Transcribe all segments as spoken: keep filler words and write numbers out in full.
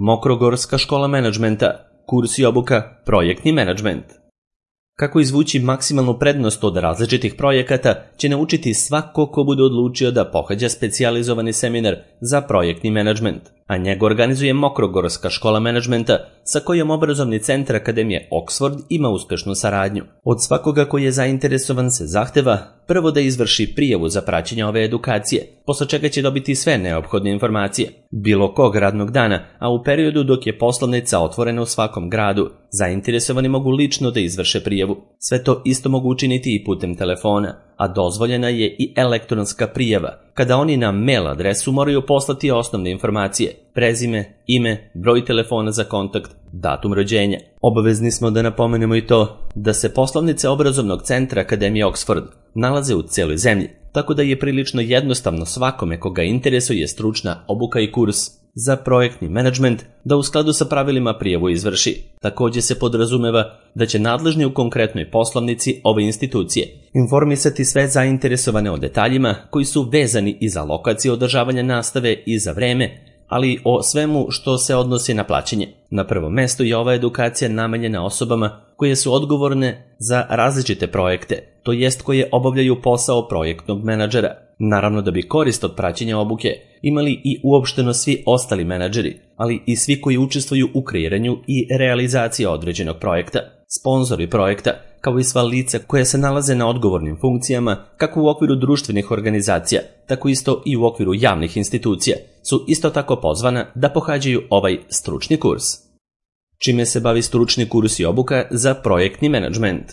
Mokrogorska škola menadžmenta, kurs i obuka projektni menadžment. Kako izvući maksimalnu prednost od različitih projekata će naučiti svako ko bude odlučio da pohađa specijalizovani seminar za projektni menadžment, a njega organizuje Mokrogorska škola menadžmenta sa kojom obrazovni centar Akademije Oxford ima uspešnu saradnju. Od svakoga koji je zainteresovan se zahteva prvo da izvrši prijavu za praćenje ove edukacije, posle čega će dobiti sve neophodne informacije, bilo kog radnog dana, a u periodu dok je poslovnica otvorena u svakom gradu, zainteresovani mogu lično da izvrše prijavu. Sve to isto mogu učiniti i putem telefona, a dozvoljena je i elektronska prijava, kada oni na mail adresu moraju poslati osnovne informacije, prezime, ime, broj telefona za kontakt, datum rođenja. Obavezni smo da napomenemo i to da se poslovnice obrazovnog centra Akademije Oxford nalaze u celoj zemlji, tako da je prilično jednostavno svakome koga interesuje stručna obuka i kurs za projektni menadžment da u skladu sa pravilima prijavu izvrši. Takođe se podrazumeva da će nadležni u konkretnoj poslovnici ove institucije informisati sve zainteresovane o detaljima koji su vezani i za lokaciju održavanja nastave i za vreme, ali o svemu što se odnosi na plaćanje. Na prvom mestu je ova edukacija namenjena osobama koje su odgovorne za različite projekte, to jest koje obavljaju posao projektnog menadžera. Naravno da bi korist od praćenja obuke imali i uopšteno svi ostali menadžeri, ali i svi koji učestvuju u kreiranju i realizaciji određenog projekta, sponzori projekta, kao i sva lica koja se nalaze na odgovornim funkcijama, kako u okviru društvenih organizacija, tako isto i u okviru javnih institucija, su isto tako pozvana da pohađaju ovaj stručni kurs. Čime se bavi stručni kurs i obuka za projektni menadžment?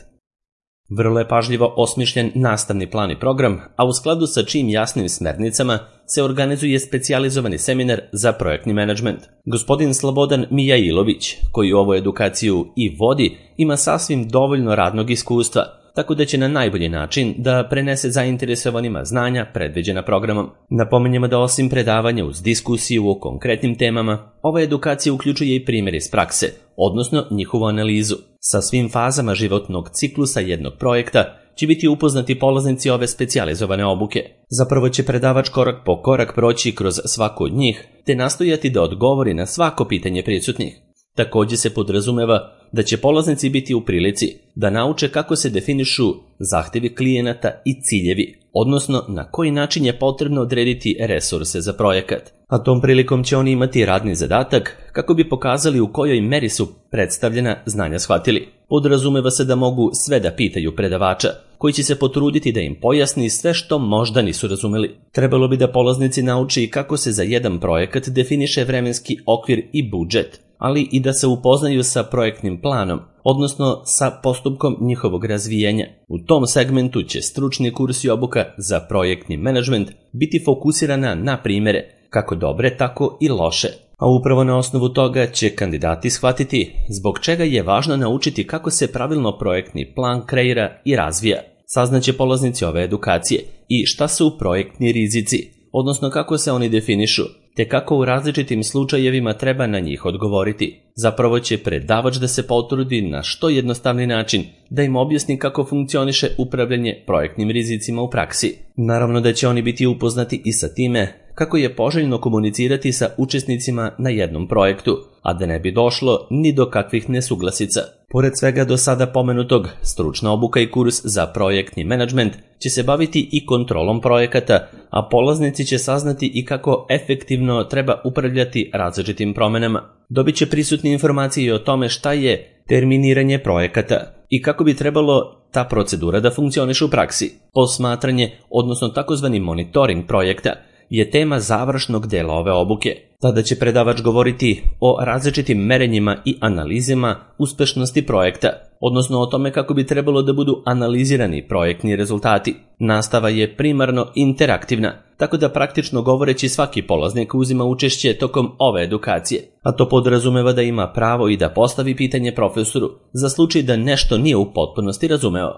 Vrlo je pažljivo osmišljen nastavni plan i program, a u skladu sa čijim jasnim smernicama se organizuje specijalizovani seminar za projektni menadžment. Gospodin Slobodan Mijailović, koji ovu edukaciju i vodi, ima sasvim dovoljno radnog iskustva, tako da će na najbolji način da prenese zainteresovanima znanja predviđena programom. Napominjemo da osim predavanja uz diskusiju o konkretnim temama, ova edukacija uključuje i primjer iz prakse, odnosno njihovu analizu. Sa svim fazama životnog ciklusa jednog projekta će biti upoznati polaznici ove specijalizovane obuke. Zapravo će predavač korak po korak proći kroz svaku od njih, te nastojati da odgovori na svako pitanje prisutnih. Takođe se podrazumeva da će polaznici biti u prilici da nauče kako se definišu zahtevi klijenata i ciljevi, odnosno na koji način je potrebno odrediti resurse za projekat. A tom prilikom će oni imati radni zadatak kako bi pokazali u kojoj meri su predstavljena znanja shvatili. Podrazumeva se da mogu sve da pitaju predavača, koji će se potruditi da im pojasni sve što možda nisu razumeli. Trebalo bi da polaznici nauče i kako se za jedan projekat definiše vremenski okvir i budžet, ali i da se upoznaju sa projektnim planom, odnosno sa postupkom njihovog razvijanja. U tom segmentu će stručni kurs i obuka za projektni menadžment biti fokusirana na primere, kako dobre, tako i loše. A upravo na osnovu toga će kandidati shvatiti zbog čega je važno naučiti kako se pravilno projektni plan kreira i razvija. Saznaće polaznici ove edukacije i šta su projektni rizici, odnosno kako se oni definišu, te kako u različitim slučajevima treba na njih odgovoriti. Zapravo će predavač da se potrudi na što jednostavni način da im objasni kako funkcioniše upravljanje projektnim rizicima u praksi. Naravno da će oni biti upoznati i sa time kako je poželjno komunicirati sa učesnicima na jednom projektu, a da ne bi došlo ni do kakvih nesuglasica. Pored svega do sada pomenutog, stručna obuka i kurs za projektni menadžment će se baviti i kontrolom projekata, a polaznici će saznati i kako efektivno treba upravljati različitim promenama. Dobit će prisutne informacije o tome šta je terminiranje projekata i kako bi trebalo ta procedura da funkcioniše u praksi. Posmatranje, odnosno takozvani monitoring projekta, je tema završnog dela ove obuke. Tada će predavač govoriti o različitim merenjima i analizama uspešnosti projekta, odnosno o tome kako bi trebalo da budu analizirani projektni rezultati. Nastava je primarno interaktivna, tako da praktično govoreći svaki polaznik uzima učešće tokom ove edukacije, a to podrazumeva da ima pravo i da postavi pitanje profesoru za slučaj da nešto nije u potpunosti razumeo.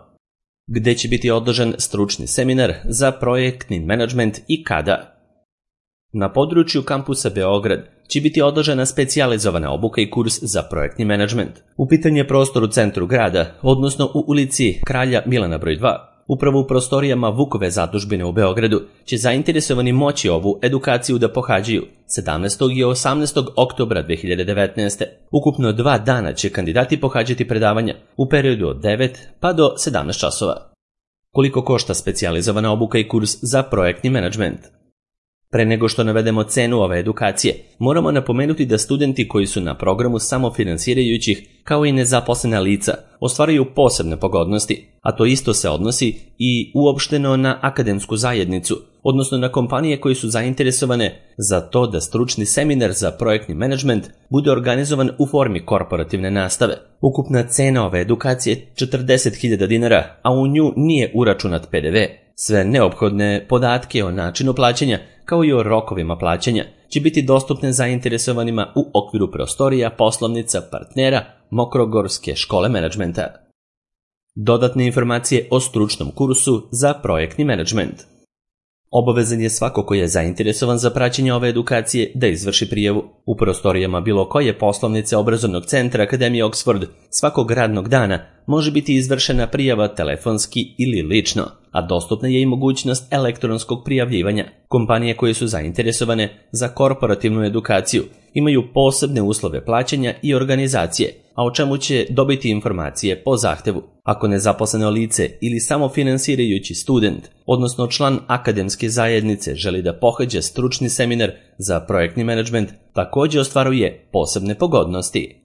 Gde će biti održan stručni seminar za projektni menadžment i kada? Na području kampusa Beograd će biti održana specijalizovana obuka i kurs za projektni menadžment. U pitanju je prostor u centru grada, odnosno u ulici Kralja Milana broj dva, Upravo u prostorijama Vukove zadužbine u Beogradu će zainteresovani moći ovu edukaciju da pohađaju sedamnaestog i osamnaestog oktobra dve hiljade devetnaeste. Ukupno dva dana će kandidati pohađati predavanja u periodu od devet pa do sedamnaest časova. Koliko košta specijalizovana obuka i kurs za projektni menadžment? Pre nego što navedemo cenu ove edukacije, moramo napomenuti da studenti koji su na programu samofinansirajućih, kao i nezaposlena lica, ostvaruju posebne pogodnosti, a to isto se odnosi i uopšteno na akademsku zajednicu, odnosno na kompanije koje su zainteresovane za to da stručni seminar za projektni menadžment bude organizovan u formi korporativne nastave. Ukupna cena ove edukacije je četrdeset hiljada dinara, a u nju nije uračunat pe de ve. Sve neophodne podatke o načinu plaćanja, kao i o rokovima plaćanja, će biti dostupne zainteresovanima u okviru prostorija poslovnica partnera Mokrogorske škole menadžmenta. Dodatne informacije o stručnom kursu za projektni menadžment. Obavezan je svako ko je zainteresovan za praćenje ove edukacije da izvrši prijavu. U prostorijama bilo koje poslovnice obrazovnog centra Akademije Oxford svakog radnog dana može biti izvršena prijava telefonski ili lično, a dostupna je i mogućnost elektronskog prijavljivanja. Kompanije koje su zainteresovane za korporativnu edukaciju imaju posebne uslove plaćanja i organizacije, a o čemu će dobiti informacije po zahtevu. Ako nezaposleno lice ili samofinansirajući student, odnosno član akademske zajednice želi da pohađa stručni seminar za projektni menadžment, također ostvaruje posebne pogodnosti.